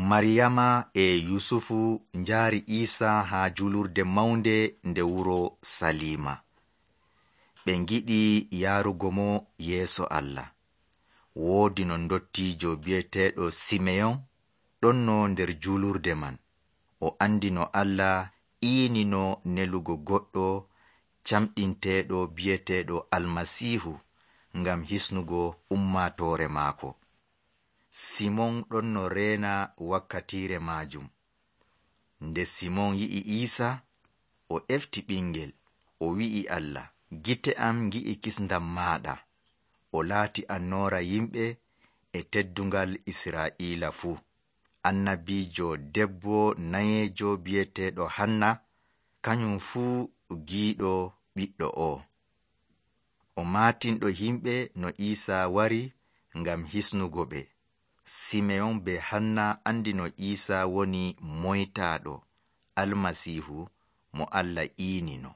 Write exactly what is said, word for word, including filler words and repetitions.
Mariyama e Yusufu njaari Iisa haa julurde mawnde nde wuro Salima. Ɓe ngiɗi yaarugo mo yeeso Allah. Woodi no ndottiijo bi'eteeɗo Simeyon ɗonno nder julurde man. O andi no Allah iinino nelugo goɗɗo camɗinteeɗo bi'eteeɗo Almasiihu ngam hisnugo ummatoore maako. Simon ɗonno reena wakkatiire maajum. Nde Simon yi'i Iisa, o efti ɓingel, o wi'i Allah, gite am ngi'i kisndam maaɗa. O laati annoora yimɓe e teddungal Israa'iila fuu. Annabiijo debbo nayeejo bi'eteeɗo Hanna, kañum fuu giiɗo ɓiɗɗo o. O maatinɗo yimɓe no Iisa wari ngam hisnugo ɓe. Simeyon be Hanna andi no Iisa woni moytaaɗo, Almasiihu mo Allah iinino.